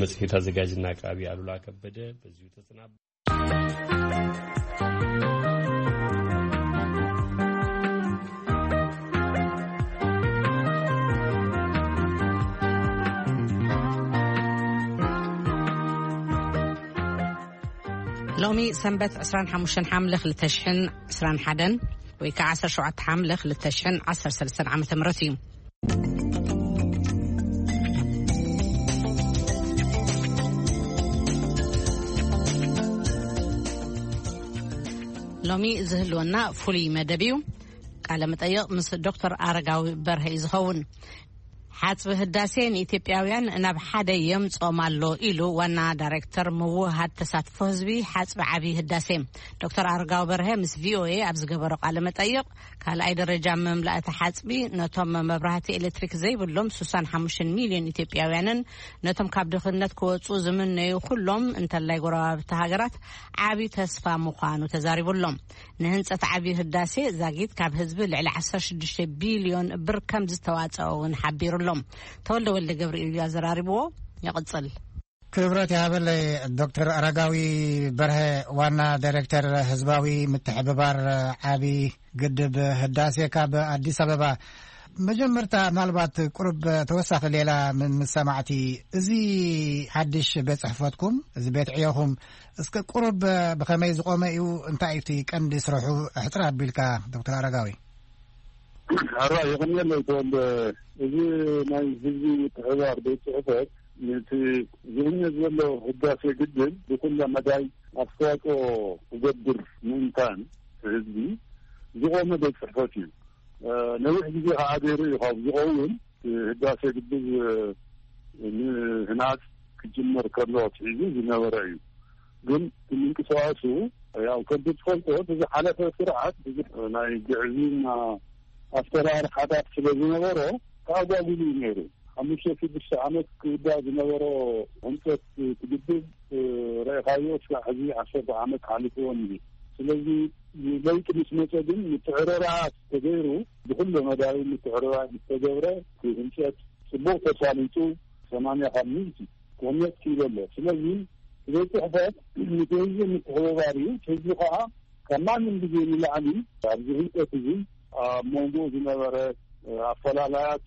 መጽሔት ኣዘጋጅና ኣቅራቢ ኣሉላ ከበደ በዚሁ ተሰናብ። ሎሚ ሰንበት ዕስራን ሓሙሽተን ሓምለ ክልተ ሽሕን ዕስራን ሓደን ወይ ከዓ ዓሰርተ ሸውዓተ ሓምለ ክልተ ሽሕን ዓሰርተ ሰለስተን ዓመተ ምህረት እዩ። ሎሚ ዝህልወና ፍሉይ መደብ እዩ። ቃለ መጠይቕ ምስ ዶክተር ኣረጋዊ በርሀ እዩ ዝኸውን። ሓጽቢ ህዳሴ ንኢትዮጵያውያን ናብ ሓደ የምጾም ኣሎ ኢሉ ዋና ዳይሬክተር ምውሃድ ተሳትፎ ህዝቢ ሓጽቢ ዓቢ ህዳሴ ዶክተር ኣረጋዊ በርሀ ምስ ቪኦኤ ኣብ ዝገበሮ ቃለ መጠይቕ፣ ካልኣይ ደረጃ መምላእቲ ሓጽቢ ነቶም መብራህቲ ኤሌክትሪክ ዘይብሎም ስሳን ሓሙሽተን ሚልዮን ኢትዮጵያውያንን ነቶም ካብ ድኽነት ክወጹ ዝምነዩ ኩሎም እንተላይ ጎረባብቲ ሃገራት ዓቢ ተስፋ ምዃኑ ተዛሪቡሎም። ንህንጸት ዓቢ ህዳሴ ዛጊት ካብ ህዝቢ ልዕሊ ዓሰርተ ሽዱሽተ ቢልዮን ብር ከም ዝተዋጸኦ እውን ሓቢሩሎም። ተወልደ ወልደ ገብርኤል እዩ ኣዘራሪብዎ። ይቕጽል። ክብረት ይሃበለይ ዶክተር ኣረጋዊ በርሀ፣ ዋና ዳይሬክተር ህዝባዊ ምትሕብባር ዓቢ ግድብ ህዳሴ ካብ ኣዲስ ኣበባ። መጀመርታ ምናልባት ቁሩብ ተወሳኺ ሌላ ምን ምስ ሰማዕቲ፣ እዚ ሓድሽ ቤት ጽሕፈትኩም፣ እዚ ቤት ዕዮኹም እስከ ቁሩብ ብኸመይ ዝቖመ እዩ? እንታይ እዩ እቲ ቀንዲ ስርሑ? ኣሕጽር ኣቢልካ ዶክተር ኣረጋዊ። ሕራ የቐንየለይ ተወልደ። እዚ ናይ ህዝቢ ምትሕብባር ቤት ጽሕፈት ነቲ ዝህነጽ ዘሎ ህዳሴ ግድብ ብኩለ መዳይ ኣስተዋጽኦ ክገብር ምእንታን ህዝቢ ዝቖመ ቤት ጽሕፈት እዩ። ነዊሕ ግዜ ከዓ ገይሩ እዩ ካብ ዝኸውን። ህዳሴ ግድብ ምህናጽ ክጅመር ከሎ ኣትሒዙ ዝነበረ እዩ። ግን ምንቅስቃሱ ያው ከምቲ ትፈልጦ ብዝሓለፈ ስርዓት ብዙሕ ናይ ግዕዝይና ኣሰራርሓታት ስለ ዝነበሮ ተኣጓጉሉ እዩ ነይሩ። ሓሙሽተ ሽዱሽተ ዓመት ክውዳእ ዝነበሮ ህንፀት እቲ ግድብ ረኢኻዮ እስካዕ ሕዚ ዓሰርተ ዓመት ሓሊፍዎ እዩ። ስለዚ ለውጢ ምስ መፀ ግን ምትዕርራያት ተገይሩ ብኩሉ መዳዩ ምትዕርራይ ምስ ተገብረ እቲ ህንፀት ፅቡቕ ተሳሊጡ ሰማንያ ካብ ሚእቲ ክህነፅ ክኢሉ ኣሎ። ስለዚ ቤት ፅሕፈት ንህዝቢ ምትሕብባር እዩ። ህዝቢ ከዓ ካብ ማንም ግዜ ንላዕሊ ኣብዚ ህንፀት እዚ ኣብ መንጎኡ ዝነበረ ኣፈላላያት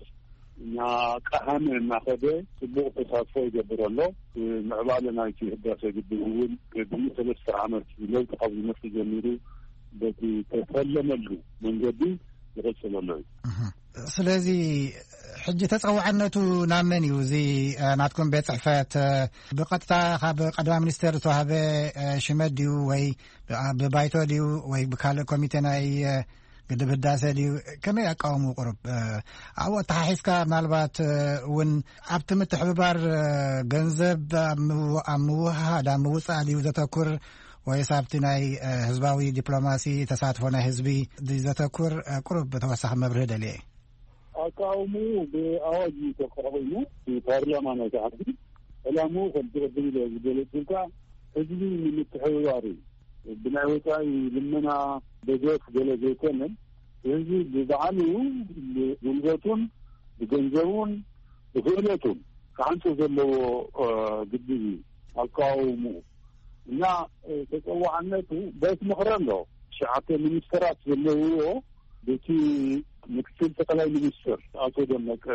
እናቀሃመ እናኸደ ፅቡቕ ተሳትፎ ይገብር ኣሎ። ምዕባለ ናይቲ ህዳሴ ግድብ እውን ቅድሚ ሰለስተ ዓመት ለውጢ ካብ ዝመፅእ ጀሚሩ በቲ ተፈለመሉ መንገዲ ይቕፅል ኣሎ እዩ። ስለዚ ሕጂ ተፀዋዕነቱ ናብ መን እዩ? እዚ ናትኩም ቤት ፅሕፈት ብቐጥታ ካብ ቀዳማይ ሚኒስቴር ዝተዋህበ ሽመት ድዩ ወይ ብባይቶ ድዩ ወይ ብካልእ ኮሚቴ ናይ ግድብ ህዳሴ ድዩ? ከመይ ኣቃውሙ ቁሩብ ኣብኡ ኣተሓሒዝካ ምናልባት እውን ኣብቲ ምትሕብባር ገንዘብ ኣብ ምውሃድ ኣብ ምውፃእ ድዩ ዘተኩር ወይስ ኣብቲ ናይ ህዝባዊ ዲፕሎማሲ ተሳትፎ ናይ ህዝቢ ድዩ ዘተኩር? ቁሩብ ተወሳኺ መብርሂ ደልየ። ኣቃውምኡ ብኣዋጅ እዩ ተቋቒሙ። ፓርላማ ናይቲ ዓዲ ዕላምኡ ከም ትቕድም ኢለ ዝገለፅልካ ህዝቢ ንምትሕብባር እዩ። ብናይ ወፃኢ ልመና ደገፍ ገለ ዘይኮነ ህዝቢ ብባዕሉ ብጉልበቱን ብገንዘቡን ብክእለቱን ክዓንፆ ዘለዎ ግድብ እዩ ኣቃውምኡ። እና ተፀዋዕነቱ ቤት ምኽሪ ኣሎ። ትሽዓተ ሚኒስተራት ዘለውዎ በቲ ምክትል ጠቅላይ ሚኒስትር ኣቶ ደመቀ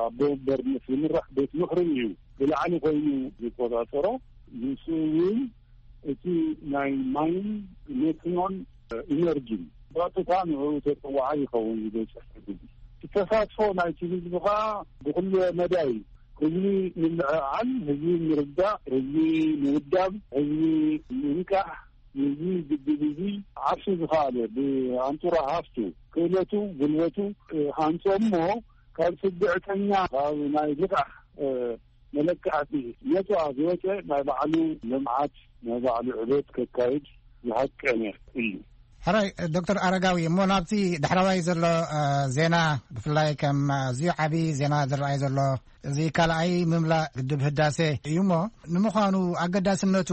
ኣቦ ወንበርነት ዝምራሕ ቤት ምኽሪ እዩ ብላዕሊ ኮይኑ ዝቆፃፀሮ። ንሱ እውን እቲ ናይ ማይን ሜትኖን ኢነርጂን ብቐጥታ ንዕኡ ተፀዋዓይ ይኸውን። ዝቤት ጽሕፈት ተሳትፎ ናይቲ ህዝቢ ከዓ ብኩሉ መዳይ ህዝቢ ምልዕዓል፣ ህዝቢ ምርዳእ፣ ህዝቢ ምውዳብ፣ ህዝቢ ምንቃሕ፣ ህዝቢ ግድብ እዚ ዓርሱ ዝኸኣለ ብኣንጡራ ሃፍቱ፣ ክእለቱ፣ ጉልበቱ ሃንጾ እሞ ካብ ስግዕተኛ ካብ ናይ ልቓሕ መለክዕቲ ነፃ ዝወፀ ናይ ባዕሉ ልምዓት ናይ ባዕሉ ዕቤት ከካይድ ዝሃቀነ እዩ። ሕራይ ዶክተር ኣረጋዊ፣ እሞ ናብቲ ዳሕረዋይ ዘሎ ዜና ብፍላይ ከም ኣዝዩ ዓብዪ ዜና ዝረኣይ ዘሎ እዚ ካልኣይ ምምላእ ግድብ ህዳሴ እዩ። እሞ ንምዃኑ ኣገዳስነቱ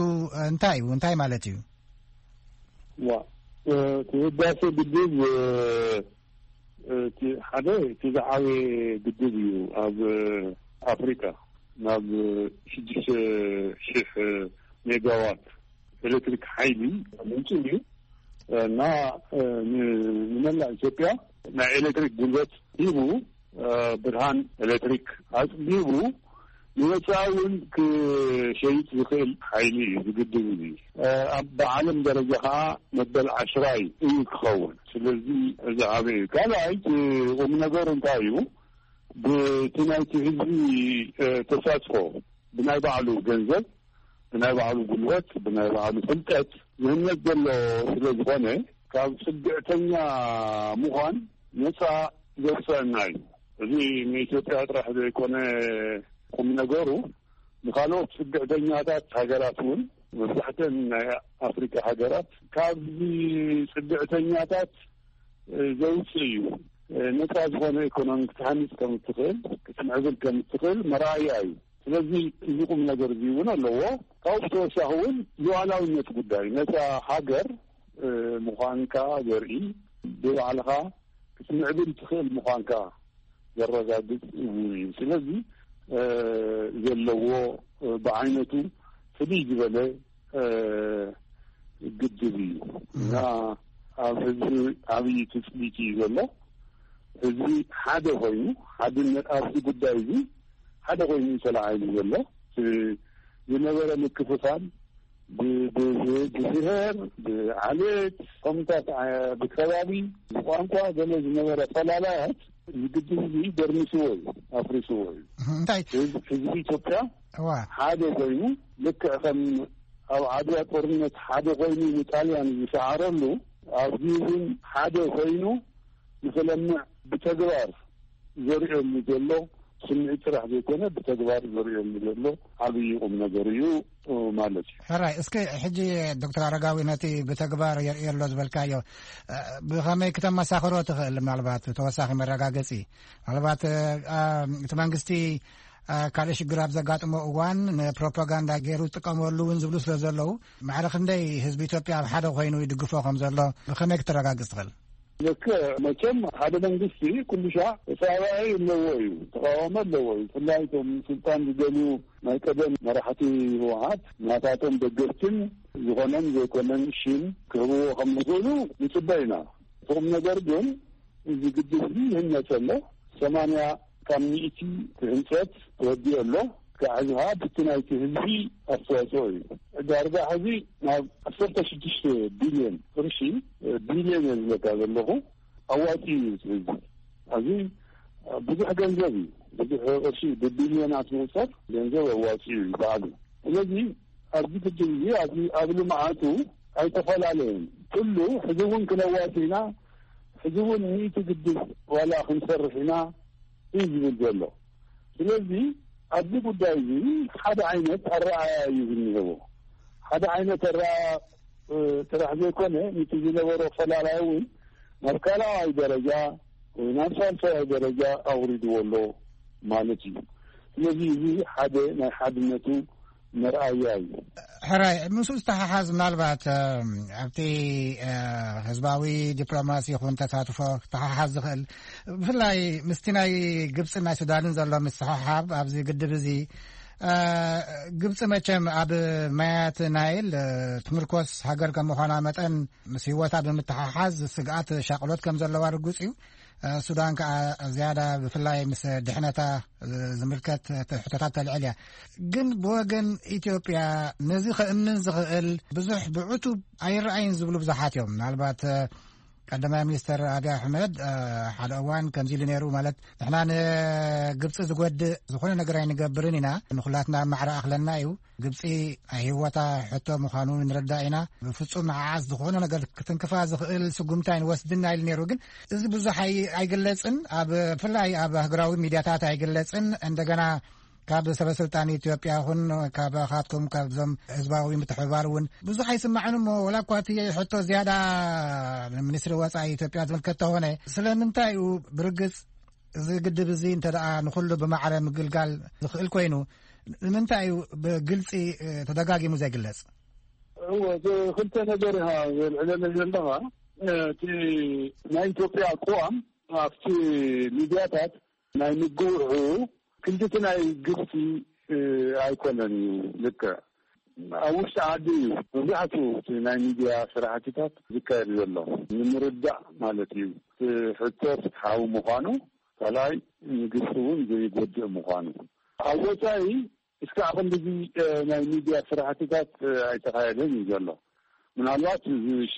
እንታይ እዩ? እንታይ ማለት እዩ? ዋ እቲ ህዳሴ ግድብ እቲ ሓደ እቲ ዝዓበየ ግድብ እዩ ኣብ ኣፍሪካ። ናብ ሽዱሽተ ሺሕ ሜጋዋት ኤሌክትሪክ ሓይሊ ምንጭ እዩ እና ን- ንመላእ ኢትዮጵያ ናይ ኤሌክትሪክ ጉልበት ሂቡ፣ ብርሃን ኤሌክትሪክ ኣጽቢቡ ንወጻኢ እውን ክሸይጥ ዝኽእል ሓይሊ እዩ ዝግድብ። እዚ ኣብ ብዓለም ደረጃ ከዓ መበል ዓሽራይ እዩ ክኸውን። ስለዚ እዚ ዓበይ እዩ። ካልኣይ እቲ ቁም ነገሩ እንታይ እዩ? ብቲ ናይቲ ህዝቢ ተሳትፎ ብናይ ባዕሉ ገንዘብ፣ ብናይ ባዕሉ ጉልበት፣ ብናይ ባዕሉ ፍልጠት ዝህነፅ ዘሎ ስለ ዝኾነ ካብ ፅግዕተኛ ምዃን ነፃ ዘውፀአና እዩ። እዚ ንኢትዮጵያ ጥራሕ ዘይኮነ ቁም ነገሩ ንካልኦት ፅግዕተኛታት ሃገራት እውን፣ መብዛሕተን ናይ ኣፍሪካ ሃገራት ካብዚ ፅግዕተኛታት ዘውፅእ እዩ። ነፃ ዝኾነ ኢኮኖሚ ክትሃንፅ ከም እትኽእል፣ ክትምዕብል ከም እትኽእል መርኣያ እዩ። ስለዚ እዚ ቁም ነገር እዚ እውን ኣለዎ። ካብኡ ብተወሳኺ እውን ሉዓላዊነት ጉዳይ፣ ነፃ ሃገር ምዃንካ ዘርኢ፣ ብባዕልኻ ክትምዕብል ትኽእል ምዃንካ ዘረጋግፅ እውን እዩ። ስለዚ ዘለዎ ብዓይነቱ ፍልይ ዝበለ ግድብ እዩ እና ኣብ ህዝቢ ዓብዪ ትፅቢት እዩ ዘሎ። ህዝቢ ሓደ ኮይኑ፣ ሓድነት ኣብዚ ጉዳይ እዚ ሓደ ኮይኑ እዩ ተለዓይሉ ዘሎ። ዝነበረ ምክፍፋል ብ- ብ- ብብሔር፣ ብዓሌት፣ ከምታት ብከባቢ፣ ብቋንቋ ገለ ዝነበረ ፈላላያት እዚ ግድብ እዚ ደርሚስዎ እዩ፣ ኣፍሪስዎ እዩ። እንታይ ህዝቢ ኢትዮጵያ እዋ ሓደ ኮይኑ፣ ልክዕ ከም ኣብ ዓድዋ ጦርነት ሓደ ኮይኑ ንጣልያን ዝሰዓረሉ፣ ኣብዚ እውን ሓደ ኮይኑ ንክለምዕ ብተግባር ዘርእየሉ ዘሎ፣ ስምዒት ጥራሕ ዘይኮነ ብተግባር ዘርእየሉ ዘሎ ዓብዪ ቁም ነገር እዩ ማለት እዩ። ሕራይ፣ እስኪ ሕጂ ዶክተር ኣረጋዊ፣ ነቲ ብተግባር የርእየሎ ዝበልካዮ ብኸመይ ክተመሳኽሮ ትኽእል? ምናልባት ተወሳኺ መረጋገፂ፣ ምናልባት እቲ መንግስቲ ካልእ ሽግር ኣብ ዘጋጥሞ እዋን ንፕሮፓጋንዳ ገይሩ ዝጥቀመሉ እውን ዝብሉ ስለ ዘለዉ፣ ማዕረ ክንደይ ህዝቢ ኢትዮጵያ ኣብ ሓደ ኮይኑ ይድግፎ ከም ዘሎ ብኸመይ ክተረጋግፅ ትኽእል? ልክዕ፣ መቸም ሓደ መንግስቲ ኩሉ ሻዕ ተጻባኢ ኣለዎ እዩ፣ ተቃዋሚ ኣለዎ እዩ። ብፍላይ እቶም ስልጣን ዝደልዩ ናይ ቀደም መራሕቲ ህወሓት ናታቶም ደገፍትን ዝኾነን ዘይኮነን ሽም ክህብዎ ከም ዝኽእሉ ንጽበ ኢና። እቲ ቁም ነገር ግን እዚ ግድብ እዚ ይህነጽ ኣሎ። ሰማንያ ካብ ሚእቲ ህንጸት ተወዲኡ ኣሎ። ክዕዝኻ ብቲ ናይቲ ህዝቢ ኣስተዋፅኦ እዩ። ዳርጋ ሕዚ ናብ ዓሰርተ ሽዱሽተ ቢልዮን ቅርሺ፣ ቢልዮን እየ ዝብለካ ዘለኹ፣ ኣዋፂኡ እዩ እቲ ህዝቢ። ኣብዚ ብዙሕ ገንዘብ እዩ፣ ብዙሕ ቅርሺ ብቢልዮናት ዝቁፀር ገንዘብ ኣዋፂኡ እዩ ባዕሉ። ስለዚ ኣብዚ ግድብ እዚ ኣብዚ ኣብ ልምዓቱ ኣይተፈላለየን። ኩሉ ሕዚ እውን ክነዋፂ ኢና፣ ሕዚ እውን ሚእቲ ግድብ ዋላ ክንሰርሕ ኢና እዩ ዝብል ዘሎ። ስለዚ ኣብዚ ጉዳይ እዚ ሓደ ዓይነት ኣረኣያ እዩ ዝኒሀዎ። ሓደ ዓይነት ኣረኣያ ጥራሕ ዘይኮነ፣ ነቲ ዝነበሮ ፈላላይ እውን ናብ ካልኣዋይ ደረጃ ወይ ናብ ሳልሳዋይ ደረጃ ኣውሪድዎ ኣሎ ማለት እዩ። ስለዚ እዚ ሓደ ናይ ሓድነቱ መርኣያ እዩ። ሕራይ፣ ምስኡ ዝተሓሓዝ ምናልባት ኣብቲ ህዝባዊ ዲፕሎማሲ ይኹን ተሳትፎ ክተሓሓዝ ዝኽእል፣ ብፍላይ ምስቲ ናይ ግብፅን ናይ ሱዳንን ዘሎ ምስሕሓብ ኣብዚ ግድብ እዚ፣ ግብፂ መቸም ኣብ ማያት ናይል ትምርኮስ ሃገር ከም ምዃና መጠን ምስ ህይወታ ብምትሓሓዝ ስግኣት ሻቕሎት ከም ዘለዋ ርጉፅ እዩ። ሱዳን ከኣ ዝያዳ ብፍላይ ምስ ድሕነታ ዝምልከት ሕቶታት ተልዕል እያ። ግን ብወገን ኢትዮጵያ ነዚ ከእምን ዝኽእል ብዙሕ ብዕቱብ ኣይረኣይን ዝብሉ ብዙሓት እዮም። ምናልባት ቀዳማይ ሚኒስተር ኣብይ ኣሕመድ ሓደ እዋን ከምዚ ኢሉ ነይሩ፣ ማለት ንሕና ንግብፂ ዝጎድእ ዝኾነ ነገር ኣይንገብርን ኢና፣ ንኹላትና ማዕረ ኣኽለና እዩ። ግብፂ ናይ ህይወታ ሕቶ ምዃኑ ንርዳእ ኢና። ብፍፁም ንዓዓስ ዝኾነ ነገር ክትንክፋ ዝኽእል ስጉምቲ ኣይንወስድን ኢና ኢሉ ነይሩ። ግን እዚ ብዙሕ ኣይ- ኣይግለፅን፣ ኣብ ብፍላይ ኣብ ሃገራዊ ሚድያታት ኣይግለፅን። እንደገና ካብ ሰበ ስልጣን ኢትዮጵያ ይኹን ካብ ካትኩም ካብዞም ህዝባዊ ምትሕብባር እውን ብዙሕ ኣይስማዕን። እሞ ወላ እኳ እቲ ሕቶ ዝያዳ ንሚኒስትሪ ወፃኢ ኢትዮጵያ ዝምልከት ተኾነ፣ ስለምንታይ እዩ ብርግፅ እዚ ግድብ እዚ እንተ ደኣ ንኹሉ ብማዕረ ምግልጋል ዝኽእል ኮይኑ፣ ንምንታይ እዩ ብግልፂ ተደጋጊሙ ዘይግለጽ? እወ፣ እቲ ክልተ ነገር ኢኻ ዘልዕለለይ ዘለኻ። እቲ ናይ ኢትዮጵያ ኣቅዋም ኣብቲ ሚድያታት ናይ ምግውሑ ክንድቲ ናይ ግብፂ እ፣ ኣይኮነን እዩ ልክዕ። ኣብ ውሽጢ ዓዲ እዩ መብዛሕትኡ እቲ ናይ ሚድያ ስራሕትታት ዝካየድ ዘሎ፣ ንምርዳእ ማለት እዩ። እቲ ሕቶ ፍትሓዊ ምዃኑ፣ ካልኣይ ንግብፂ እውን ዘይጎድእ ምዃኑ። ኣብ ወፃኢ እስካዕ ክንድዚ፣ እ፣ ናይ ሚድያ ስራሕትታት፣ እ፣ ኣይተኻየደን እዩ ዘሎ። ምናልባት እዚ ሽ-፣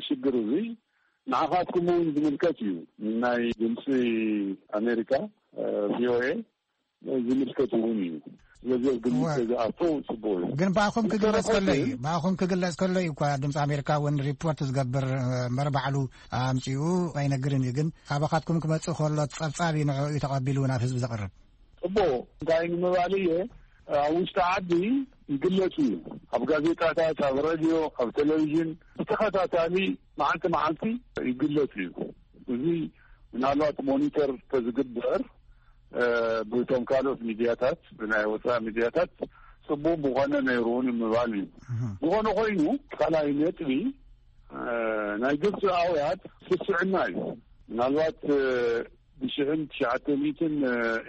ሽግር እዚ ንዓኻትኩም እውን ዝምልከት እዩ። ናይ ድምፂ ኣሜሪካ፣ እ፣ ቪ ኦ ኤ ዝምልከት እውን እዩ። ስለዚ ኣብ ግምት እወ። ዝኣቱ ጽቡቕ እዩ። ግን ብኣኹም ክግለጽ ብተረፈ ከሎ እዩ፣ ግን ብኣኹም ክግለጽ ከሎ እዩ እኳ ድምፂ ኣሜሪካ እውን ሪፖርት ዝገብር፣ እ፣ እምበር ባዕሉ ኣምፂኡ ኣይነግርን እዩ። ግን ካባኻትኩም ክመፅእ ከሎ ጸብጻብ እዩ ንዕኡ እዩ ተቐቢሉ ናብ ህዝቢ ዘቕርብ። ጽቡቕ እንታይ ንምባል እየ፣ ኣብ ውሽጢ ዓዲ ይግለጽ እዩ። ኣብ ጋዜጣታት፣ ኣብ ሬድዮ፣ ኣብ ቴሌቪዥን ብተኸታታሊ መዓልቲ መዓልቲ ይግለጽ እዩ። እዚ ምናልባት ሞኒተር ተዝግበር፣ እ፣ ብቶም ካልኦት ሚድያታት፣ ብናይ ወፃኢ ሚድያታት ጽቡቕ ምኾነ ነይሩ እውን ምባል እዩ። እህ። ዝኾነ ኮይኑ፣ ካልኣይ ነጥቢ፣ እ፣ ናይ ግብፂ ኣውያት ስስዕና እዩ። ምናልባት፣ እ፣ ብሽሕን ትሽዓተ ሚእትን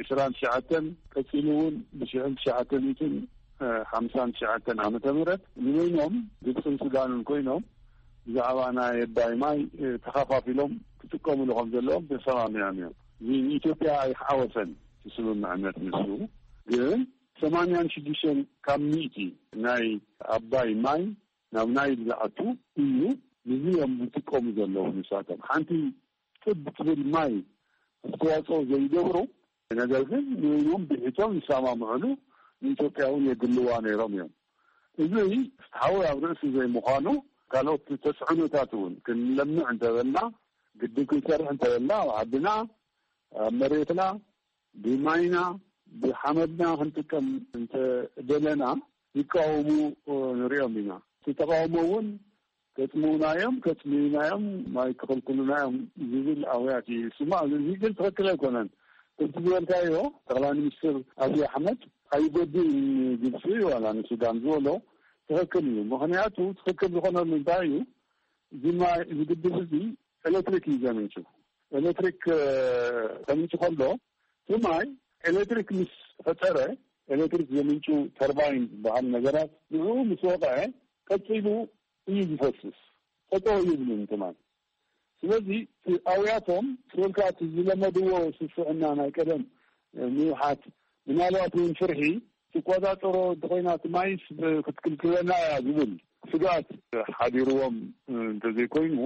ዕስራን ትሽዓተን፣ ቀፂሉ እውን ብሽሕን ትሽዓተ ሚእትን ሓምሳን ትሽዓተን ዓመተ ምህረት ንበይኖም ግብፅን ሱዳንን ኮይኖም ብዛዕባ ናይ ኣባይ ማይ፣ እ፣ ተኸፋፊሎም ክጥቀምሉ ከም ዘለዎም ተሰማሚዖም እዮም። እዚ ንኢትዮጵያ ኣይሓወሰን እቲ ስምምዕነት ንሱ። ግን ሰማንያን ሽዱሽተን ካብ ሚእቲ ናይ ኣባይ ማይ ናብ ናይል ዝኣቱ እዩ። ንዚ እዮም ዝጥቀሙ ዘለዉ ንሳቶም። ሓንቲ ጥብ ትብል ማይ ኣስተዋፅኦ ዘይገብሩ፣ ነገር ግን ንበይኖም ብሒቶም ይሰማምዕሉ፣ ንኢትዮጵያ እውን የግልዋ ነይሮም እዮም። እዚ ፍትሓዊ ኣብ ርእሲ ዘይምዃኑ፣ ካልኦት ተፅዕኖታት እውን ክንለምዕ እንተበልና፣ ግድብ ክንሰርሕ እንተበልና፣ ኣብ ዓድና፣ ኣብ መሬትና፣ ብማይና፣ ብሓመድና ክንጥቀም እንተደለና፣ ይቃወሙ ንሪኦም ኢና። እቲ ተቃውሞ እውን ከጽምኡና እዮም፣ ከጽምዩና እዮም፣ ማይ ክኽልክሉና እዮም ዝብል ኣውያት እዩ። ስማ፣ እዚ ግን ትኽክል ኣይኮነን። ከምቲ ዝበልካዮ፣ ጠቕላይ ሚኒስትር ኣብይ ኣሕመድ ኣይጎድእን ግብፂ ዋላ ንሱዳን ዝበሎ ትኽክል እዩ። ምኽንያቱ ትኽክል ዝኾነሉ እንታይ እዩ? እዚ ማይ፣ እዚ ግድብ እዚ ኤሌክትሪክ እዩ ዘምንጩ። ኤሌክትሪክ፣ እ፣ ከምንጩ ከሎ፣ እቲ ማይ ኤሌክትሪክ ምስ ፈጠረ፣ ኤሌክትሪክ ዘምንጩ ተርባይን ዝበሃል ነገራት ንዕኡ ምስ ወቕዐ፣ ቀጺሉ እዩ ዝፈስስ። ጠጠው ይብልን ትማል። ስለዚ እቲ ኣውያቶም ስበልካ እቲ ዝለመድዎ ስስዕና ናይ ቀደም ምውሓት፣ ምናልባት እውን ፍርሒ ትቆጻጸሮ እንተኾይና እቲ ማይስ ክትክልክለና እያ ዝብል ስግኣት ሓዲርዎም እንተዘይኮይኑ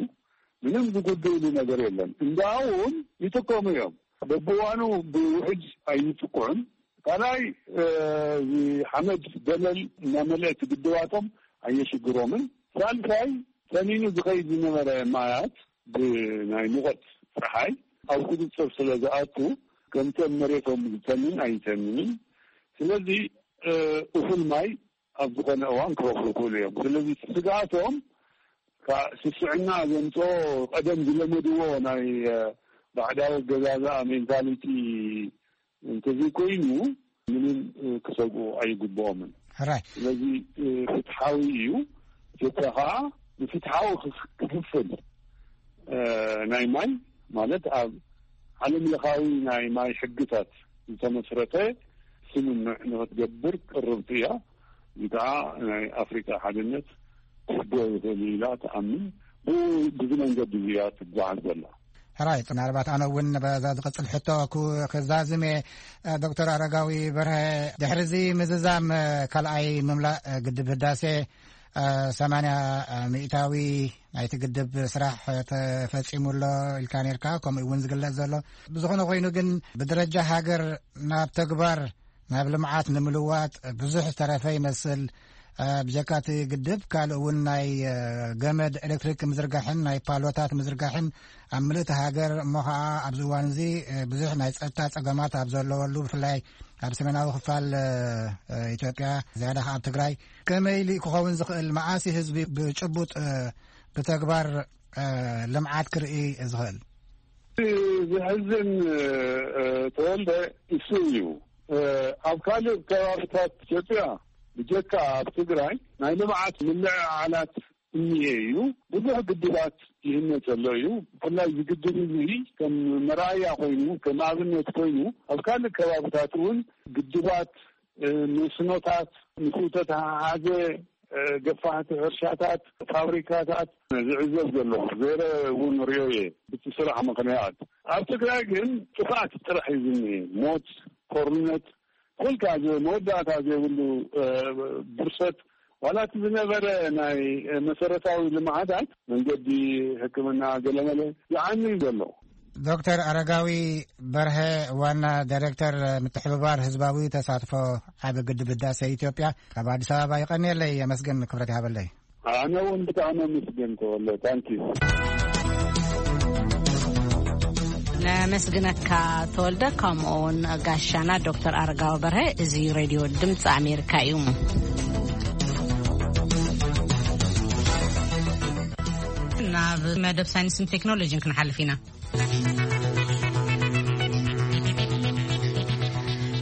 ምንም ዝጉድእሉ ነገር የለን። እንዳውን ይጥቀሙ እዮም። በብዋኑ ብውሕጅ ኣይጥቅዑን። ካልኣይ፣ እ፣ እዚ ሓመድ ደለል እናመልአ እቲ ግድባቶም ኣየሽግሮምን። ሳልሳይ፣ ተኒኑ ዝኸይድ ዝነበረ ማያት ብናይ ሙቐት ጸሓይ ኣብ ቁጽጽር ስለ ዝኣቱ፣ ከምቲ ኣብ መሬቶም ዝተንን ኣይተንንን። ስለዚ፣ እ፣ እኹል ማይ ኣብ ዝኾነ እዋን ክረኽቡ ይኽእሉ እዮም። ስለዚ ስግኣቶም ካብ ስስዕና ዘምጽኦ ቀደም ዝለመድዎ ናይ፣ እ፣ ባዕዳዊ ኣገዛዝኣ ሜንታሊቲ እንተዘይኮይኑ ምንም፣ እ፣ ክሰግኡ ኣይግብኦምን። ሕራይ። ስለዚ፣ እ፣ ፍትሓዊ እዩ። ኢትዮጵያ ኸዓ ንፍትሓዊ ክፍ-፣ ክፍፍል፣ እ፣ ናይ ማይ ማለት ኣብ ዓለም ለኻዊ ናይ ማይ ሕግታት ዝተመስረተ ስምምዕ ንኽትገብር ቅርብቲ እያ። እዚ ከዓ ናይ ኣፍሪካ ሓድነት ክሕግዞ ይኽእል እዩ ኢላ ትኣምን። ብኡ፣ ብዚ መንገዲ እዚ እያ ትጓዓዝ ዘላ። ሕራይ፣ ምናልባት ኣነ እውን በዛ ዝቕጽል ሕቶ ክዛዝም እየ። ዶክተር ኣረጋዊ በርሀ፣ ድሕሪ እዚ ምዝዛም ካልኣይ ምምላእ ግድብ ህዳሴ ሰማንያ ሚእታዊ ናይቲ ግድብ ስራሕ ተፈጺሙ ኣሎ ኢልካ ነርካ፣ ከምኡ እውን ዝግለጽ ዘሎ። ብዝኾነ ኮይኑ ግን ብደረጃ ሃገር ናብ ተግባር ናብ ልምዓት ንምልዋጥ ብዙሕ ዝተረፈ ይመስል። እ፣ ብጀካ እቲ ግድብ ካልእ እውን ናይ፣ እ፣ ገመድ ኤሌክትሪክ ምዝርጋሕን ናይ ፓሎታት ምዝርጋሕን ኣብ ምልእቲ ሃገር እሞ ኸዓ ኣብዚ እዋን እዚ፣ እ፣ ብዙሕ ናይ ጸጥታ ጸገማት ኣብ ዘለወሉ ብፍላይ ኣብ ሰሜናዊ ክፋል፣ እ፣ እ፣ ኢትዮጵያ ዝያዳ ኸዓ ኣብ ትግራይ ከመይ ኢሉ ክኸውን ዝኽእል መዓስ ህዝቢ ብጭቡጥ፣ እ፣ ብተግባር፣ እ፣ ልምዓት ክርኢ ዝኽእል? ዝሕዝን፣ እ፣ ተወልደ እሱ እዩ። እ፣ ኣብ ካልእ ከባብታት ኢትዮጵያ ብጀካ ኣብ ትግራይ ናይ ልምዓት ምልዕዓላት እኒሄ እዩ። ብዙሕ ግድባት ይህነፅ ዘሎ እዩ። ብፍላይ እዚ ግድብ እዚ ከም መርኣያ ኮይኑ፣ ከም ኣብነት ኮይኑ ኣብ ካልእ ከባብታት እውን ግድባት እ፣ መስኖታት፣ ምስኡ ተተሓሓዘ፣ እ፣ ገፋሕቲ ሕርሻታት፣ ፋብሪካታት ዝዕዘብ ዘለኹ፣ ገይረ እውን ርእዮ እየ። ብቲ ስራሕ ምኽንያት ኣብ ትግራይ ግን ጥፍኣት ጥራሕ እዩ ዝኒሀ። ሞት፣ ጦርነት፣ ኩልካ ዘ-፣ መወዳእታ ዘይብሉ፣ እ፣ ብርሰት፣ ዋላ እቲ ዝነበረ ናይ፣ እ፣ መሰረታዊ ልምዓታት፣ መንገዲ፣ ሕክምና፣ ገለመለ ይዓኒ እዩ ዘሎ። ዶክተር ኣረጋዊ በርሀ፣ ዋና ዳይሬክተር ምትሕብባር ህዝባዊ ተሳትፎ ዓቢ ግድብ ህዳሴ ኢትዮጵያ፣ ካብ ኣዲስ ኣበባ ይቐንየለይ። የመስገን፣ ክብረት ይሃበለይ። ኣነ እውን ብጣዕሚ ኣመስገን ተወለ። ታንኪዩ። ነመስግነካ ተወልደ፣ ከምኡ እውን ጋሻና ዶክተር ኣረጋዊ በርሀ። እዚ ሬድዮ ድምፂ ኣሜሪካ እዩ። ናብ መደብ ሳይንስን ቴክኖሎጂን ክንሓልፍ ኢና።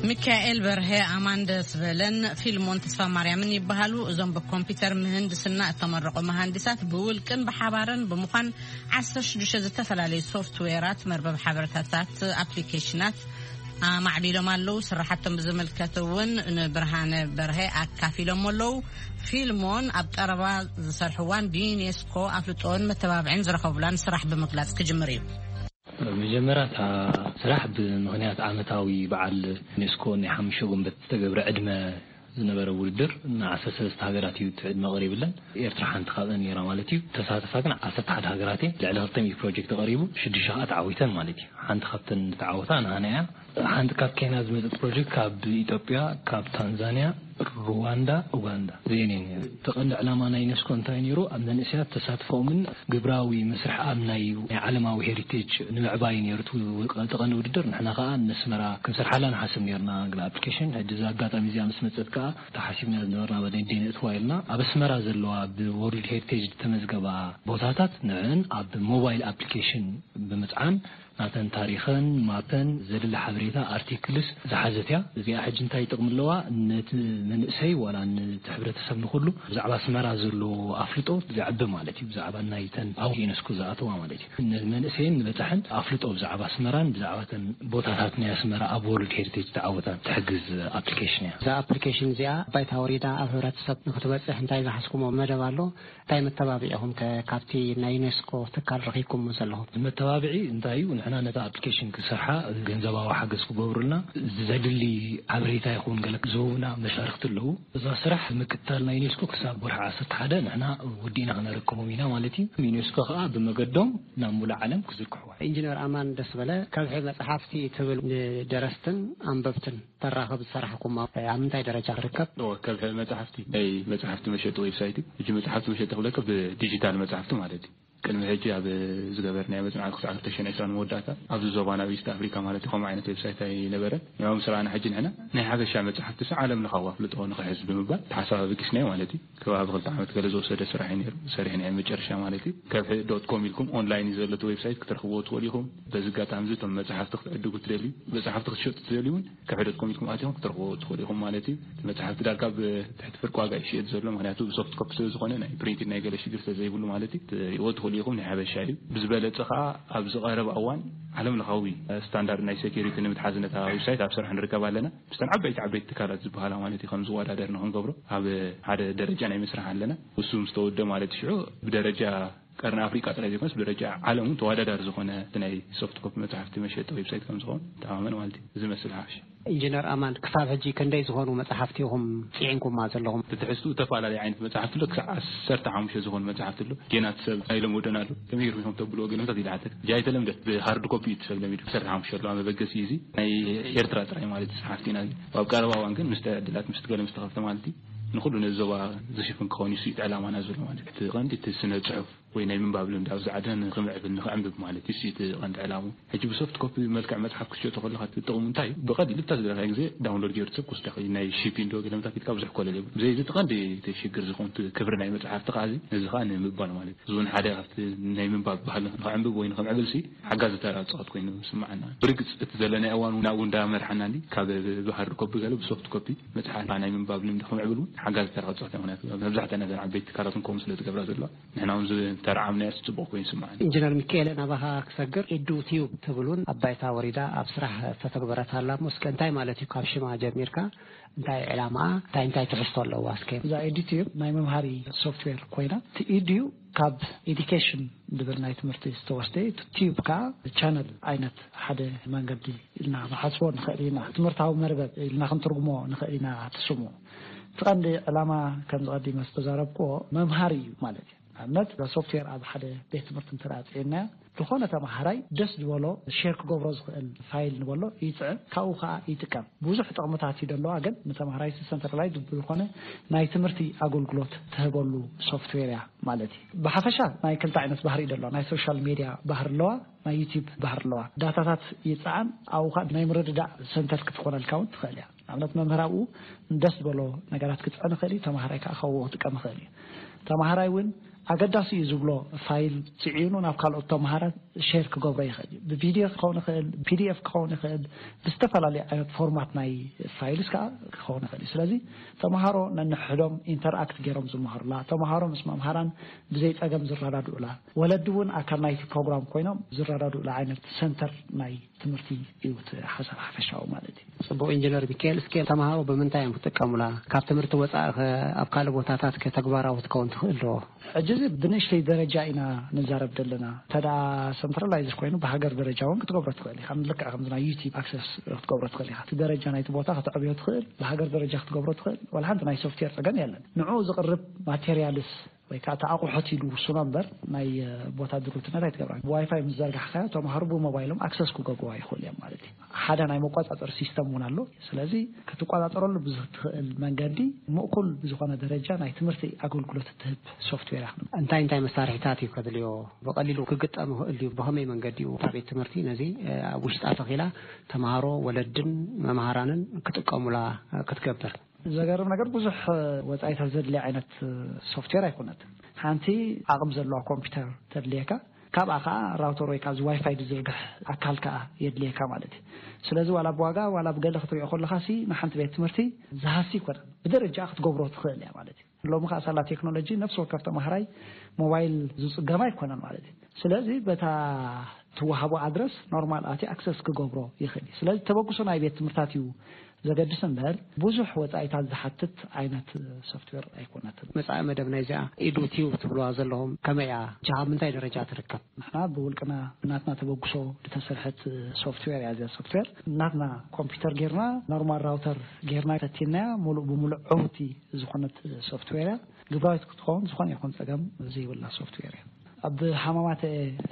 ሚካኤል በርሀ፣ ኣማን ደስ በለን ፊልሞን ተስፋ ማርያምን ይበሃሉ። እዞም ብኮምፒውተር ምህንድስና እተመረቑ መሃንዲሳት ብውልቅን ብሓባርን ብምዃን ዓሰርተ ሽዱሽተ ዝተፈላለዩ ሶፍትዌራት፣ መርበብ ሓበሬታታት፣ ኣፕሊኬሽናት ኣማዕቢሎም ኣለዉ። ስራሓቶም ብዝምልከት እውን ንብርሃነ በርሀ ኣካፊሎም ኣለዉ። ፊልሞን ኣብ ቀረባ ዝሰርሕዋን ብዩኔስኮ ኣፍልጦን መተባብዕን ዝረኸቡላን ስራሕ ብምግላጽ ክጅምር እዩ። መጀመርያ እታ ስራሕ ብምኽንያት ዓመታዊ በዓል ዩኔስኮ ናይ ሓሙሽተ ጉንበት ዝተገብረ ዕድመ ዝነበረ ውድድር፣ ን ዓሰርተ ሰለስተ ሃገራት እዩ እቲ ዕድመ ቀሪብለን። ኤርትራ ሓንቲ ካብአን ነይራ ማለት እዩ። ተሳተፋ ግን ዓሰርተ ሓደ ሃገራት እየን። ልዕሊ ክልተ ሚእቲ ፕሮጀክት ቀሪቡ፣ ሽዱሽተ ከዓ ተዓዊተን ማለት እዩ። ሓንቲ ካብተን ዝተዓወታ ንሃና እያ። ሓንቲ ካብ ኬንያ ዝመፀት ፕሮጀክት ካብ ኢትዮጵያ፣ ካብ ታንዛንያ፣ ሩዋንዳ፣ ኡጋንዳ፣ እዚአን እየን ነይረን። እቲ ቀንዲ ዕላማ ናይ ዩኔስኮ እንታይ ነይሩ? ኣብ መንእሰያት ተሳትፎኦምን ግብራዊ መስርሕ ኣብ ናይ፣ ናይ ዓለማዊ ሄሪቴጅ ንምዕባይ ነይሩ እቲ ውድድር። ንሕና ከዓ ነስመራ ክንሰርሓላ ንሓስብ ነይርና፣ ግና ኣፕሊኬሽን። ሕጂ እዚ ኣጋጣሚ እዚኣ ምስ መፀት ከዓ ተሓሲብና ዝነበርና በደንዴ ነእትዋ ኢልና ኣብ ኣስመራ ዘለዋ ብወርልድ ሄሪቴጅ ዝተመዝገባ ቦታታት ንዕን ኣብ ሞባይል ኣፕሊኬሽን ብምፅዓን ናተን ታሪኸን፣ ማፐን፣ ዘድሊ ሓበሬታ፣ ኣርቲክልስ ዝሓዘት እያ። እዚኣ ሕጂ እንታይ ጥቕሚ ኣለዋ? ነቲ መንእሰይ ዋላ ነቲ ሕብረተሰብ ንኹሉ ብዛዕባ ኣስመራ ዘሎ ኣፍልጦ ዘዕቢ ማለት እዩ። ብዛዕባ ናይተን ኣብ ዩኔስኮ ዝኣተዋ ማለት እዩ። ንመንእሰይን ንበጻሕን ኣፍልጦ ብዛዕባ ኣስመራን ብዛዕባ እተን ቦታታት ናይ ኣስመራ ኣብ ወርልድ ሄሪቴጅ ተዓወታን ትሕግዝ ኣፕሊኬሽን እያ። እዛ ኣፕሊኬሽን እዚኣ ባይታ ወሪዳ ኣብ ሕብረተሰብ ንክትበጽሕ እንታይ ዝሓዝኩሞ መደብ ኣሎ? እንታይ መተባብዒ ኢኹም ከ ካብቲ ናይ ዩኔስኮ ትካል ረኺብኩሞ ዘለኹም? መተባብዒ እንታይ እዩ? ንሕና ነታ ኣፕሊኬሽን ክሰርሓ ገንዘባዊ ሓገዝ ክገብሩልና ዘድሊ ሓበሬታ ይኹን ገለ ዝህቡና መሻርክቲ ኣለዉ። እዛ ስራሕ ምክትታል ናይ ዩኔስኮ ክሳብ ወርሒ ዓሰርተ ሓደ ንሕና ወዲእና ክነረክቦም ኢና ማለት እዩ። ዩኔስኮ ከዓ ብመገዶም ናብ ሙሉእ ዓለም ክዝርግሕዋ። ኢንጂነር ኣማን ደስበለ፣ ከብሒ መጽሓፍቲ ትብል ንደረስትን ኣንበብትን ተራኽብ ዝሰራሕኩም ኣብ ምንታይ ደረጃ ትርከብ? እወ፣ ከብሒ መጽሓፍቲ ናይ መጽሓፍቲ መሸጢ ዌብሳይት እዩ። ሕጂ መጽሓፍቲ መሸጢ ክብለካ ብዲጂታል መጽሓፍቲ ማለት እዩ። ቅድሚ ሕጂ ኣብ ዝገበርናዮ መጽናዕቲ ክሳብ ክልተ ሽሕን ዕስራን መወዳእታ ኣብዚ ዞባና ኣብ ኢስት ኣፍሪካ ማለት እዩ ከምኡ ዓይነት ዌብሳይት ኣይነበረን። ንዕኡ ምስ ረኣና ሕጂ ንሕና ናይ ሓበሻ መጽሓፍቲ ስ ዓለም ለኻዊ ኣፍልጦ ንኽሕዝ ብምባል ተሓሳብ ኣበጊስናዮ ማለት እዩ። ከባቢ ክልተ ዓመት ገለ ዝወሰደ ስራሕ እዩ ነይሩ። ሰሪሕናዮ መጨረሻ ማለት እዩ። ከብሒ ዶት ኮም ኢልኩም ኦንላይን እዩ ዘሎ እቲ ዌብሳይት፣ ክትረኽብዎ ትኽእሉ ኢኹም። በዚ ኣጋጣሚ እዚ እቶም መጽሓፍቲ ክትዕድጉ ትደልዩ፣ መጽሓፍቲ ክትሸጡ ትደልዩ እውን ከብሒ ዶት ኮም ኢልኩም ኣቲኹም ክትረኽብዎ ትኽእሉ ኢኹም ማለት እዩ። እቲ መጽሓፍቲ ዳርጋ ብትሕቲ ፍርቂ ዋጋ እዩ ዝሽየጥ ዘሎ፣ ምኽንያቱ ብሶፍት ኮፒ ስለ ዝኾነ ናይ ፕሪንቲንግ ናይ ገለ ሽግር ስለ ዘይብሉ ማለት እዩ። ክትሪእዎ ትኽእሉ ኢኹም፣ ናይ ሓበሻ እዩ። ብዝበለጸ ኸኣ ኣብዚ ቀረባ እዋን ዓለም ለኻዊ ስታንዳርድ ናይ ሴኩሪቲ ንምትሓዝ ነታ ዌብሳይት ኣብ ስራሕ ንርከብ ኣለና። ምስተን ዓበይቲ ዓበይቲ ትካላት ዝበሃላ ማለት እዩ ከም ዝወዳደር ንኽንገብሮ ኣብ ሓደ ደረጃ ናይ ምስራሕ ኣለና። ውሱ ምስ ተወደ ማለት ሽዑ ብደረጃ ቀርኒ ኣፍሪቃ ጥራይ ዘይኮነስ ብደረጃ ዓለም እውን ተወዳዳሪ ዝኾነ እቲ ናይ ሶፍት ኮፒ መጽሓፍቲ መሸጢ ዌብሳይት ከም ዝኸውን ተኣማመን ማለት እዩ። እዚ መስል ሓፍሽ። ኢንጂነር ኣማን፣ ክሳብ ሕጂ ክንደይ ዝኾኑ መጽሓፍቲ ኢኹም ጽዒንኩማ ዘለኹም? ብትሕዝቱ ዝተፈላለዩ ዓይነት መጽሓፍቲ ኣሎ። ክሳብ ዓሰርተ ሓሙሽተ ዝኾኑ መጽሓፍቲ ኣሎ። ጌና እቲ ሰብ ኣይለመዶን ኣሎ። ከመይ ገይርኩም ኢኹም ተብልዎ ገለመታት ይልሓተክ። እጃ ኣይተለምደት፣ ብሃርድ ኮፒ እዩ እቲ ሰብ ለሚዱ። ዓሰርተ ሓሙሽተ ኣለዋ። መበገሲ እዩ እዚ። ናይ ኤርትራ ጥራይ ማለት እዩ፣ ጸሓፍቲ ኢና። ኣብ ቀረባ እዋን ግን ምስ ዕድላት ምስ ገለ ምስ ተኸፍተ ማለት እዩ፣ ንኹሉ ነዚ ዞባ ዝሽፍን ክኸውን እዩ ስኢት ዕላማና ዘሎ ማለት እዩ። እቲ ቀንዲ እቲ ስነ ጽሑፍ ወይ ናይ ምንባብ ልምዲ ኣብዚ ዓድና ንኽምዕብል፣ ንኽዕንብብ ማለት እዩ ስኢት ቀንዲ ዕላሙ። ሕጂ ብሶፍት ኮፒ መልክዕ መጽሓፍ ክትሸጦ ከለኻ እቲ ጥቕሙ እንታይ እዩ? ብቐሊሉ እታ ዝደለኻዮ ግዜ ዳውንሎድ ገይሩ ሰብ ክወስዳ ይኽእል እዩ። ናይ ሺፒንግ ዶ ገለመታት ኢልካ ብዙሕ ኮለል የብሉ። ብዘይ እዚ እቲ ቀንዲ እቲ ሽግር ዝኾን እቲ ክብሪ ናይ መጽሓፍቲ ከኣ እዚ፣ ነዚ ከኣ ንምባል ማለት እዩ። እዚ እውን ሓደ ካብቲ ናይ ምንባብ ባህሊ ንኽዕንብብ ወይ ንኽምዕብል ሲ ሓጋዚ ተራ ዝጻወት ኮይኑ ይስምዓና። ብርግጽ እቲ ዘለናዮ እዋን እውን ናብኡ እንዳመርሓና እንዲ፣ ካብ ብሃርድ ኮፒ ገለ ብሶፍት ኮፒ መጽሓፍ ናይ ምንባብ ልምዲ ክምዕብል እውን ሓጋዚ ተራ ክጻወት እዩ። ምኽንያቱ መብዛሕትኣን እዘን ዓበይቲ ትካላት እውን ከምኡ ስለ ዝገብራ ዘለዋ፣ ንሕና እውን ዝ-፣ ተርዓምናዮ ጽቡቕ ኮይኑ ይስምዓኒ። ኢንጂነር ሚካኤል፣ ናባኻ ክሰግር፣ ኢዱ ቲዩብ ትብል እውን ኣብ ባይታ ወሪዳ ኣብ ስራሕ ዝተተግበረት ኣላ። እስከ እንታይ ማለት እዩ? ካብ ሽማ ጀሚርካ እንታይ ዕላማኣ፣ እንታይ እንታይ ትሕዝቶ ኣለዋ? እስከ እዛ ኢዲቲዩብ ናይ መምሃሪ ሶፍትዌር ኮይና፣ እቲ ኢዲዩ ካብ ኤዲኬሽን ዝብል ናይ ትምህርቲ ዝተወስደ፣ እቲ ቲዩብ ከዓ ቻነል ዓይነት ሓደ መንገዲ ኢልና ንሓስቦ ንኽእል ኢና። ትምህርታዊ መርበብ ኢልና ክንትርጉሞ ንኽእል ኢና። እቲ ስሙ፣ እቲ ቀንዲ ዕላማ፣ ከምዚ ቀዲመ ዝተዛረብክዎ፣ መምሃሪ እዩ ማለት እዩ። ንኣብነት እዛ ሶፍትዌር ኣብ ሓደ ቤት ትምህርቲ እንተ ጽዒናያ፣ ዝኾነ ተማሃራይ ደስ ዝበሎ ሼር ክገብሮ ዝኽእል ፋይል ንበሎ ይጽዕን፣ ካብኡ ከዓ ይጥቀም። ብዙሕ ጥቕምታት እዩ ዘለዋ፣ ግን ንተማሃራይ ሰንትራላይዝ ብዝኾነ ናይ ትምህርቲ ኣገልግሎት ትህበሉ ሶፍትዌር እያ ማለት እዩ። ብሓፈሻ ናይ ክልተ ዓይነት ባህሪ እዩ ዘለዋ። ናይ ሶሻል ሜድያ ባህሪ ኣለዋ፣ ናይ ዩቲዩብ ባህሪ ኣለዋ። ዳታታት ይጽዓን፣ ኣብኡ ከዓ ናይ ምርድዳእ ሰንተር ክትኾነልካ እውን ትኽእል እያ። ንኣብነት መምህር ኣብኡ ደስ ዝበሎ ነገራት ክጽዕን ይኽእል እዩ፣ ተማሃራይ ከዓ ካብኡ ክጥቀም ይኽእል እዩ። ተማሃራይ እውን ኣገዳሲ እዩ ዝብሎ ፋይል ጽዒኑ ናብ ካልኦት ተማሃራት ሼር ክገብሮ ይኽእል እዩ። ብፒዲኤፍ ክኸውን ይኽእል፣ ፒዲኤፍ ክኸውን ይኽእል፣ ብዝተፈላለዩ ዓይነት ፎርማት ናይ ፋይልስ ከዓ ክኸውን ይኽእል እዩ። ስለዚ ተምሃሮ ነንሕዶም ኢንተርኣክት ገይሮም ዝመሃሩላ፣ ተምሃሮ ምስ መምሃራን ብዘይ ጸገም ዝረዳድኡላ፣ ወለዲ እውን ኣካል ናይቲ ፕሮግራም ኮይኖም ዝረዳድኡላ ዓይነት ሰንተር ናይ ትምህርቲ እዩ እቲ ሓሳብ ሓፈሻዊ ማለት እዩ። ጽቡቕ ኢንጂነር ሚካኤል፣ እስከ ተምሃሮ ብምንታይ እዮም ክጥቀሙላ? ካብ ትምህርቲ ወጻኢ ከ ኣብ ካልእ ቦታታት ከ ተግባራዊ ክትከውን ትኽእል ዶ? ሕጂ እዚ ብንእሽተይ ደረጃ ኢና ንዛረብ ዘለና። እንተ ደኣ ሰንትራላይዝድ ኮይኑ ብሃገር ደረጃ እውን ክትገብሮ ትኽእል ኢኻ። ልክዕ ከምዚ ናይ ዩቲዩብ ኣክሰስ ክትገብሮ ትኽእል ኢኻ። እቲ ደረጃ ናይቲ ቦታ ከተዕብዮ ትኽእል፣ ብሃገር ደረጃ ክትገብሮ ትኽእል። ዋላ ሓንቲ ናይ ሶፍትዌር ጸገም የለን። ንዕኡ ዝቕርብ ማቴሪያልስ ወይ ከዓ እቲ ኣቑሑት ኢሉ ውስኖ እምበር ናይ ቦታ ድሩትነት ኣይትገብራን። ብዋይፋይ ምስ ዘርጋሕካዮ ተምሃሮ ብሞባይሎም ኣክሰስ ክገብርዋ ይኽእሉ እዮም ማለት እዩ። ሓደ ናይ መቆጻጸሪ ሲስተም እውን ኣሎ። ስለዚ ክትቆጻጸረሉ ብዝትኽእል መንገዲ ምእኩል ብዝኾነ ደረጃ ናይ ትምህርቲ ኣገልግሎት እትህብ ሶፍትዌር እያ። እንታይ እንታይ መሳርሒታት እዩ ከድልዮ? ብቐሊሉ ክግጠም ይኽእል ድዩ? ብኸመይ መንገዲ እዩ እታ ቤት ትምህርቲ ነዚ ኣብ ውሽጣ ተኺላ ተምሃሮ፣ ወለድን መምሃራንን ክጥቀሙላ ክትገብር? ዘገርም ነገር ብዙሕ ወጻኢታት ዘድልያ ዓይነት ሶፍትዌር ኣይኮነትን። ሓንቲ ዓቕም ዘለዋ ኮምፒውተር ተድልየካ፣ ካብኣ ከዓ ራውተር ወይ ከዓ እዚ ዋይፋይ ዝዝርግሕ ኣካል ከዓ የድልየካ ማለት እዩ። ስለዚ ዋላ ብዋጋ ዋላ ብገለ ክትሪኦ ከለካ ሲ ንሓንቲ ቤት ትምህርቲ ዝሃሲ ይኮነን፣ ብደረጃ ክትገብሮ ትኽእል እያ ማለት እዩ። ሎሚ ከዓ ሳላ ቴክኖሎጂ ነፍሲ ወከፍ ተማሃራይ ሞባይል ዝፅገም ኣይኮነን ማለት እዩ። ስለዚ በታ ትወሃቦ ኣድረስ ኖርማል ኣቲ ኣክሰስ ክገብሮ ይኽእል እዩ። ስለዚ ተበግሶ ናይ ቤት ትምህርታት እዩ ዘገድስ እምበር ብዙሕ ወፃኢታት ዝሓትት ዓይነት ሶፍትዌር ኣይኮነትን። መፃኢ መደብ ናይዚኣ ኢዱ ቲዩብ ትብልዋ ዘለኹም ከመይ እያ? እጃ ኣብ ምንታይ ደረጃ ትርከብ? ንሕና ብውልቅና ብናትና ተበግሶ ዝተሰርሐት ሶፍትዌር እያ። እዚኣ ሶፍትዌር ናትና ኮምፒውተር ጌርና ኖርማል ራውተር ጌርና ፈቲናያ ሙሉእ ብሙሉእ ዕውቲ ዝኾነት ሶፍትዌር እያ። ግብራዊት ክትኸውን ዝኾነ ይኹን ፀገም ዘይብላ ሶፍትዌር እያ። ኣብ ሃማማተ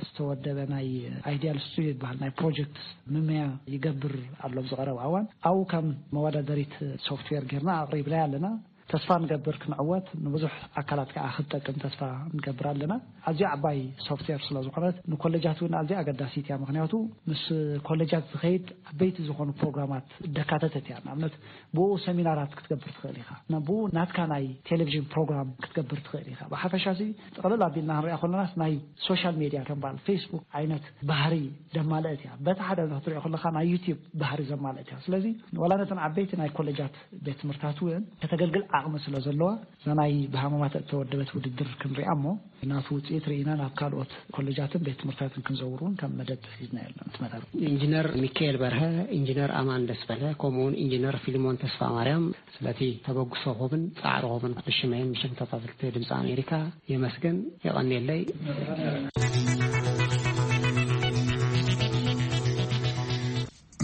ዝተወደበ ናይ ኣይዲያል ስቱዲዮ ዝበሃል ናይ ፕሮጀክት ምምያ ይገብር ኣሎ ኣብዚ ቀረባ እዋን። ኣብኡ ከም መወዳደሪት ሶፍትዌር ጌርና ኣቕሪብናያ ኣለና። ተስፋ ንገብር ክንዕወት፣ ንብዙሕ ኣካላት ከዓ ክትጠቅም ተስፋ ንገብር ኣለና። ኣዝያ ዓባይ ሶፍትዌር ስለ ዝኾነት ንኮሌጃት እውን ኣዝያ ኣገዳሲት እያ። ምኽንያቱ ምስ ኮሌጃት ዝኸይድ ዓበይቲ ዝኾኑ ፕሮግራማት ደካተተት እያ። ንኣብነት ብኡ ሰሚናራት ክትገብር ትኽእል ኢኻ። ብኡ ናትካ ናይ ቴሌቪዥን ፕሮግራም ክትገብር ትኽእል ኢኻ። ብሓፈሻ ሲ ጥቕልል ኣቢልና ክንሪኣ ከለናስ ናይ ሶሻል ሜድያ ከም በዓል ፌስቡክ ዓይነት ባህሪ ደማልአት እያ። በቲ ሓደ ክትሪኦ ከለኻ ናይ ዩቲዩብ ባህሪ ዘማልአት እያ። ስለዚ ዋላ ነተን ዓበይቲ ናይ ኮሌጃት ቤት ትምህርታት እውን ከተገልግል ዓቕሚ ስለ ዘለዋ እዛ ናይ ብሃማማት እተወደበት ውድድር ክንሪኣ እሞ ናቱ ውፅኢት ርኢና ናብ ካልኦት ኮሌጃትን ቤት ትምህርታትን ክንዘውር እውን ከም መደብ ሒዝና ያለን እቲ መደብ። ኢንጂነር ሚካኤል በርሀ፣ ኢንጂነር ኣማን ደስበለ ከምኡውን ኢንጂነር ፊልሞን ተስፋ ማርያም ስለቲ ተበግሶኹምን ጻዕርኹምን ብሽመይን ብሽም ተኸታተልቲ ድምፂ ኣሜሪካ የመስግን። የቐንየለይ።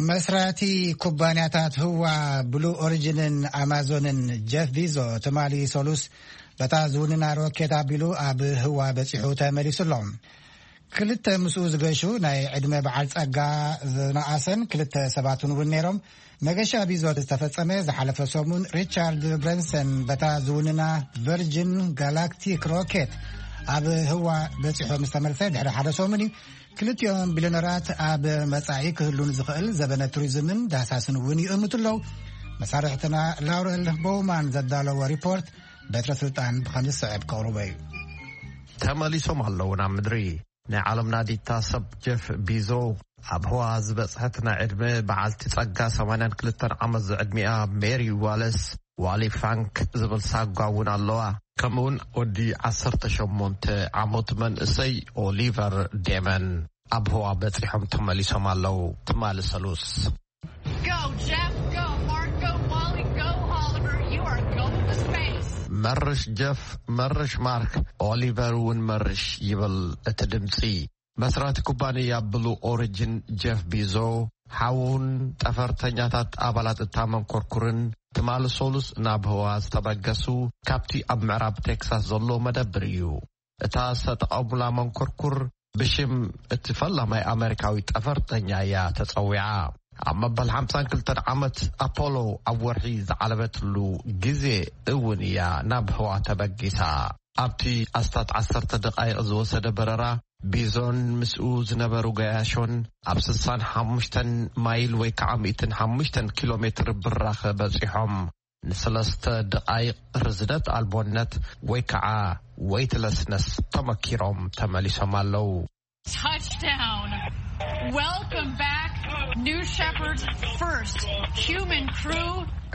መስራቲ ኩባንያታት ህዋ ብሉ ኦሪጅንን ኣማዞንን ጀፍ ቢዞ ትማሊ ሰሉስ በታ ዝውንና ሮኬት ኣቢሉ ኣብ ህዋ በጺሑ ተመሊሱ ኣሎ። ክልተ ምስኡ ዝገሹ ናይ ዕድመ በዓል ጸጋ ዝነኣሰን ክልተ ሰባትን እውን ነይሮም። መገሻ ቢዞ ዝተፈጸመ ዝሓለፈ ሰሙን ሪቻርድ ብረንሰን በታ ዝውንና ቨርጅን ጋላክቲክ ሮኬት ኣብ ህዋ በጺሑ ምስ ተመልሰ ድሕሪ ሓደ ሰሙን እዩ። ክልቲኦም ቢልዮነራት ኣብ መጻኢ ክህሉ ንዝኽእል ዘበነ ቱሪዝምን ዳህሳስን እውን ይእምቱ ኣለዉ። መሳርሕትና ላውረል ቦውማን ዘዳለዎ ሪፖርት በትረ ስልጣን ብኸም ዝስዕብ ከቕርቦ እዩ። ተመሊሶም ኣለዉ ናብ ምድሪ። ናይ ዓለምና ዲታ ሰብ ጀፍ ቢዞ ኣብ ህዋ ዝበጽሐት ናይ ዕድመ በዓልቲ ጸጋ ሰማንያን ክልተን ዓመት ዝዕድሚኣ ሜሪ ዋለስ ዋሊ ፋንክ ዝብል ሳጓ እውን ኣለዋ። ከምኡውን ወዲ ዓሰርተ ሸሞንተ ዓመት መንእሰይ ኦሊቨር ዴመን ኣብ ህዋ በጺሖም ተመሊሶም ኣለዉ። ትማሊ ሰሉስ። Go, Jeff, go, Mark, go, Wally, go, Oliver, you are going to space. መርሽ ጀፍ፣ መርሽ ማርክ፣ ኦሊቨር እውን መርሽ ይብል እቲ ድምጺ። መስራቲ ኩባንያ ብሉ ኦሪጅን ጀፍ ቢዞ፣ ሓውን ጠፈርተኛታት ኣባላት እታ መንኮርኩርን ትማሊ ሶሉስ ናብ ህዋ ዝተበገሱ፣ ካብቲ ኣብ ምዕራብ ቴክሳስ ዘሎ መደብር እዩ። እታ ዝተጠቐሙላ መንኮርኩር ብሽም እቲ ፈላማይ ኣመሪካዊ ጠፈርተኛ እያ ተጸዊዓ። ኣብ መበል ሓምሳን ክልተን ዓመት ኣፖሎ ኣብ ወርሒ ዝዓለበትሉ ግዜ እውን እያ ናብ ህዋ ተበጊሳ። ኣብቲ ኣስታት ዓሰርተ ደቓይቕ ዝወሰደ በረራ፣ ቢዞን ምስኡ ዝነበሩ ገያሾን ኣብ ስሳን ሓሙሽተን ማይል ወይ ከዓ ሚእትን ሓሙሽተን ኪሎ ሜትር ብራኸ በጺሖም። ንሰለስተ ደቓይቕ ርዝነት ኣልቦነት ወይ ከዓ ዌይትለስነስ ተመኪሮም ተመሊሶም ኣለዉ። Touchdown. Welcome back, New Shepard's first human crew.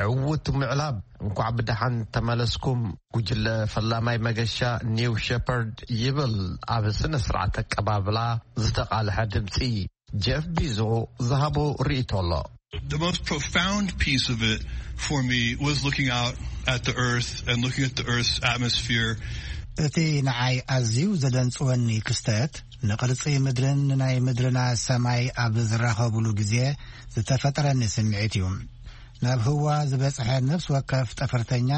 ዕውት ምዕላብ፣ እንኳዕ ብደሓን ተመለስኩም ጉጅለ ፈላማይ መገሻ ኒው ሸፐርድ ይብል ኣብ ስነ ስርዓት ኣቀባብላ ዝተቓልሐ ድምፂ። ጀፍ ቢዞ ዝሃቦ ርእይቶ ኣሎ። The most profound piece of it for me was looking out at the earth and looking at the earth's atmosphere. እቲ ንዓይ ኣዝዩ ዘደንጽወኒ ክስተት፣ ንቕርጺ ምድርን ንናይ ምድርና ሰማይ ኣብ ዝራኸቡሉ ግዜ ዝተፈጠረኒ ስምዒት እዩ። ናብ ህዋ ዝበጽሐ ነፍሲ ወከፍ ጠፈርተኛ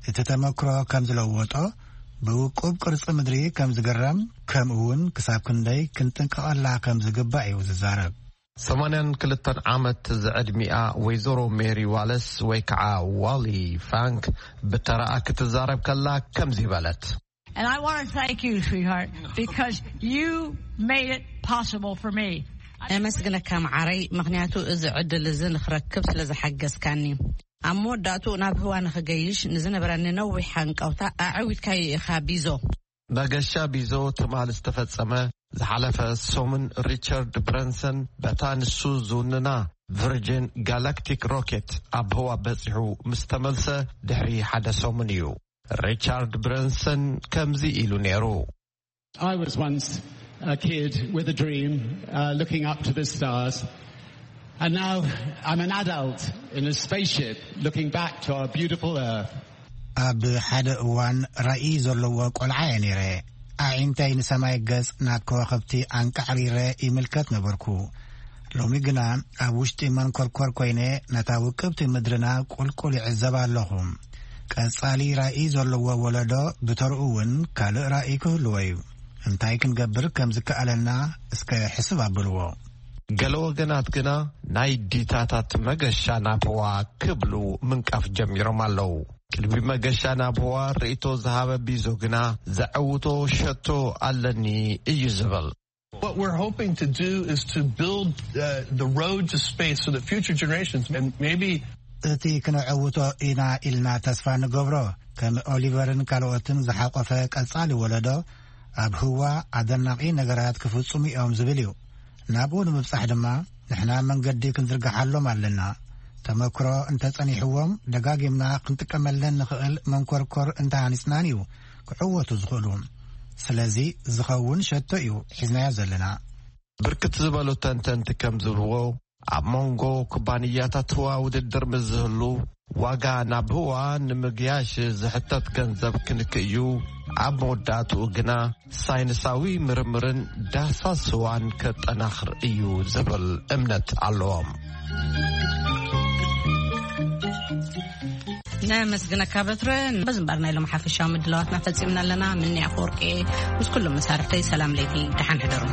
እቲ ተመክሮ ከም ዝለወጦ፣ ብውቁብ ቅርጺ ምድሪ ከም ዝግረም፣ ከምኡ እውን ክሳብ ክንደይ ክንጥንቀቐላ ከም ዝግባእ እዩ ዝዛረብ። ሰማንያን ክልተን ዓመት ዝዕድሚኣ ወይዘሮ ሜሪ ዋለስ ወይ ከዓ ዋሊ ፋንክ ብተራኣ ክትዛረብ ከላ ከምዚ በለት። And I want to thank you, sweetheart, because you made it possible for me. ነመስግነካ መዓረይ፣ ምኽንያቱ እዚ ዕድል እዚ ንኽረክብ ስለ ዝሓገዝካኒ። ኣብ መወዳእቱ ናብ ህዋ ንኽገይሽ ንዝነበረኒ ነዊሕ ሃንቀውታ ኣዕዊትካዮ ኢኻ ቢዞ። መገሻ ቢዞ ትማል ዝተፈጸመ ዝሓለፈ ሰሙን ሪቻርድ ብረንሰን በታ ንሱ ዝውንና ቨርጂን ጋላክቲክ ሮኬት ኣብ ህዋ በጺሑ ምስ ተመልሰ ድሕሪ ሓደ ሰሙን እዩ። ሪቻርድ ብረንሰን ከምዚ ኢሉ ነይሩ። I was once a kid with a dream, uh, looking up to the stars. And now I'm an adult in a spaceship looking back to our beautiful Earth. ኣብ ሓደ እዋን ራእይ ዘለዎ ቆልዓ እየ ነይረ። ኣዒንተይ ንሰማይ ገጽ ናብ ከዋኽብቲ ኣንቃዕሪረ ይምልከት ነበርኩ። ሎሚ ግና ኣብ ውሽጢ መንኮርኮር ኮይነ ነታ ውቅብቲ ምድርና ቁልቁል ይዕዘብ ኣለኹ። ቀጻሊ ራእይ ዘለዎ ወለዶ ብተርኡ እውን ካልእ ራእይ ክህልዎ እዩ። እንታይ ክንገብር ከም ዝከኣለና እስከ ሕስብ ኣብልዎ። ገለ ወገናት ግና ናይ ዲታታት መገሻ ናብ ህዋ ክብሉ ምንቃፍ ጀሚሮም ኣለዉ። ቅድሚ መገሻ ናብ ህዋ ርእይቶ ዝሃበ ቢዞ ግና ዘዐውቶ ሸቶ ኣለኒ እዩ ዝብል። What we're hoping to do is to build uh, the road to space so that future generations and maybe እቲ ክነዐውቶ ኢና ኢልና ተስፋ ንገብሮ፣ ከም ኦሊቨርን ካልኦትን ዝሓቆፈ ቀጻሊ ወለዶ ኣብ ህዋ ኣደናቂ ነገራት ክፍጽሙ እዮም ዝብል እዩ። ናብኡ ንምብጻሕ ድማ ንሕና መንገዲ ክንዝርግሓሎም ኣለና። ተመክሮ እንተጸኒሕዎም ደጋጊምና ክንጥቀመለን ንኽእል መንኮርኮር እንተሃኒጽናን እዩ ክዕወቱ ዝኽእሉ። ስለዚ ዝኸውን ሸቶ እዩ ሒዝናዮ ዘለና። ብርክት ዝበሉ ተንተንቲ ከም ዝብልዎ፣ ኣብ መንጎ ኩባንያታት ህዋ ውድድር ምስ ዝህሉ፣ ዋጋ ናብ ህዋ ንምግያሽ ዝሕተት ገንዘብ ክንክእ እዩ። ኣብ መወዳእትኡ ግና ሳይንሳዊ ምርምርን ዳህሳስ ህዋን ከጠናኽር እዩ ዝብል እምነት ኣለዎም። ነመስግነካ በትረ። በዚ እምበር ናይ ሎም ሓፈሻዊ ምድላዋትና ፈጺምና ኣለና። ምኒ ኣፈወርቂ ምስ ኩሎም መሳርሕተይ ሰላም ለይቲ፣ ደሓን ሕደሩ።